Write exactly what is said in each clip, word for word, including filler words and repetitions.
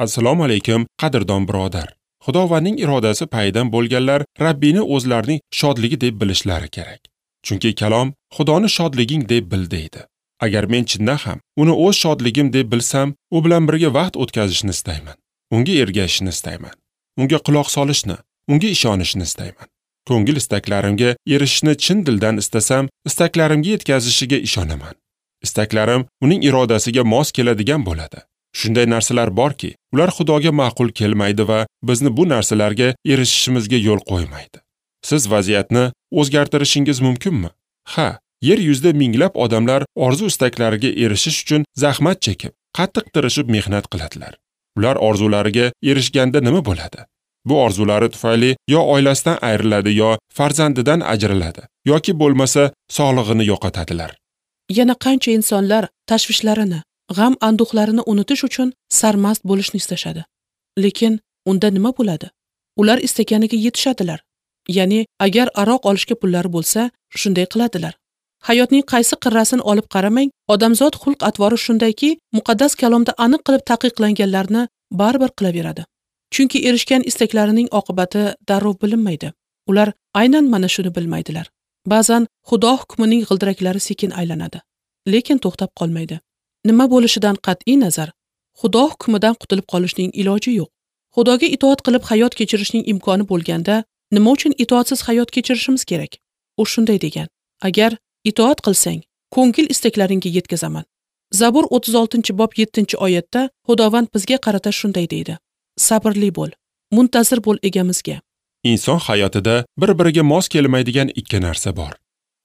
Assalomu alaykum, qadrdon birodar. Xudovandning irodasi payidan bo'lganlar Rabbini o'zlarining shodligi deb bilishlari kerak. Chunki kalom Xudoni shodliging deb bil deydi. Agar men chindan ham uni o'z shodligim deb bilsam, u bilan birga vaqt o'tkazishni istayman. Unga ergashishni istayman. Unga quloq solishni, unga ishonishni istayman. Ko'ngil istaklarimga erishishni chin dildan istasam, istaklarimga yetkazishiga ishonaman. Istaklarim uning irodasiga mos keladigan bo'ladi. Shunday narsalar borki, ular Xudoga ma'qul kelmaydi va bizni bu narsalarga erishishimizga yo'l qo'ymaydi. Siz vaziyatni o'zgartirishingiz mumkinmi? Ha, yer yuzida minglab odamlar orzu istaklariga erishish uchun zahmat chekib, qattiq tirishib mehnat qiladilar. Ular orzulariga erishganda nima bo'ladi? Bu orzulari tufayli yo oilasidan ayriladi, yo farzandidan ajraladi, yoki bo'lmasa sog'lig'ini yo'qotadilar. Yana qancha insonlar tashvishlarini, g'am anduhlarini unutish uchun sarmast bo'lishni istashadi. Lekin unda nima bo'ladi? Ular istaganiga yetishadilar. Ya'ni agar aroq olishga pullari bo'lsa, shunday qiladilar. Hayotning qaysi qirrasini olib qaramang, odamzod xulq-atvori shundayki, muqaddas kalomda aniq qilib taqiqlanganlarni baribir qilaveradi. Chunki erishgan istaklarining oqibati darrov bilinmaydi. Ular aynan mana shuni bilmaydilar. Ba'zan Xudo hukmining g'ildiraklari sekin aylanadi, lekin to'xtab qolmaydi. Nima bo'lishidan qat'iy nazar, Xudo hukmidan qutulib qolishning iloji yo'q. Xudoga itoat qilib hayot kechirishning imkoni bo'lganda, nima uchun itoatsiz hayot kechirishimiz kerak? U shunday degan: agar itoat qilsang, ko'ngil istaklaringga yetkazaman. Zabur o'ttiz oltinchi bob yettinchi oyatda Xudovand bizga qarata shunday deydi: sabrli bo'l, muntazir bo'l egamizga. Inson hayotida bir-biriga mos kelmaydigan ikki narsa bor.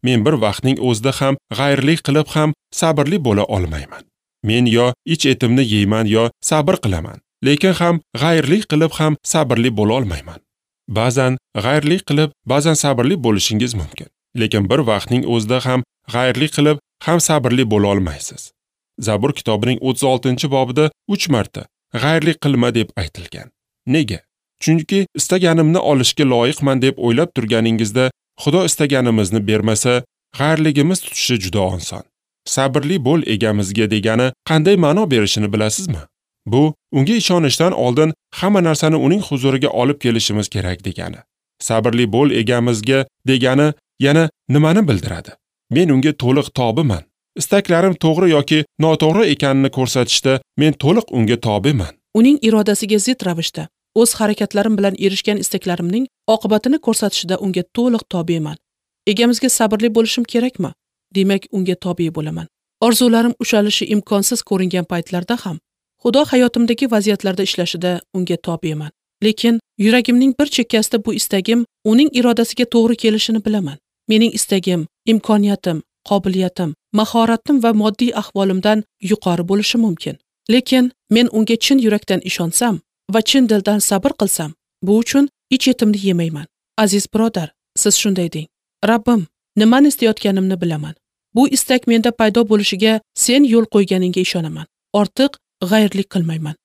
Men bir vaqtning o'zida ham g'ayrlik qilib ham sabrli bo'la olmayman. Men yo ich etimni yeyman yo sabr qilaman, lekin ham g'ayrlik qilib ham sabrli bo'la olmayman. Ba'zan g'ayrlik qilib, ba'zan sabrli bo'lishingiz mumkin. Lekin bir vaqtning o'zida ham g'ayrlik qilib ham sabrli bo'la olmaysiz. Zabur kitobining o'ttiz oltinchi bobida uch marta g'ayrlik qilma deb aytilgan. Nega? Chunki istaganimni olishga loyiqman deb o'ylab turganingizda Xudo istaganimizni bermasa, g'ayrligimiz tutishi juda oson. Sabrli bo'l egamizga degani qanday ma'no berishini bilasizmi? Bu unga ishonishdan oldin hamma narsani uning huzuriga olib kelishimiz kerak degani. Sabrli bo'l egamizga degani yana nimani bildiradi? Men unga to'liq tobiman. Istaklarim to'g'ri yoki noto'g'ri ekanini ko'rsatishda men to'liq unga tobiman. Uning irodasiga zid ravishda o'z harakatlarim bilan erishgan istaklarimning oqibatini ko'rsatishda unga to'liq tobiman. Egamizga sabrli bo'lishim kerakmi? Demak, unga tobe bo'laman. Orzularim ushalishi imkonsiz ko'ringan paytlarda ham Xudo hayotimdagi vaziyatlarda ishlashida unga tobeman. Lekin yuragimning bir chekkasida bu istagim uning irodasiga to'g'ri kelishini bilaman. Mening istagim, imkoniyatim, qobiliyatim, mahoratim va moddiy ahvolimdan yuqori bo'lishi mumkin. Lekin men unga chin yurakdan ishonsam va chin dildan sabr qilsam, bu uchun ich etimni yemayman. Aziz birodar, siz shunday deng: Rabbim, nimani istayotganimni bilaman. Bu istak menda paydo bo'lishiga sen yo'l qo'yganingga ishonaman. Ortiq g'ayrlik qilmayman.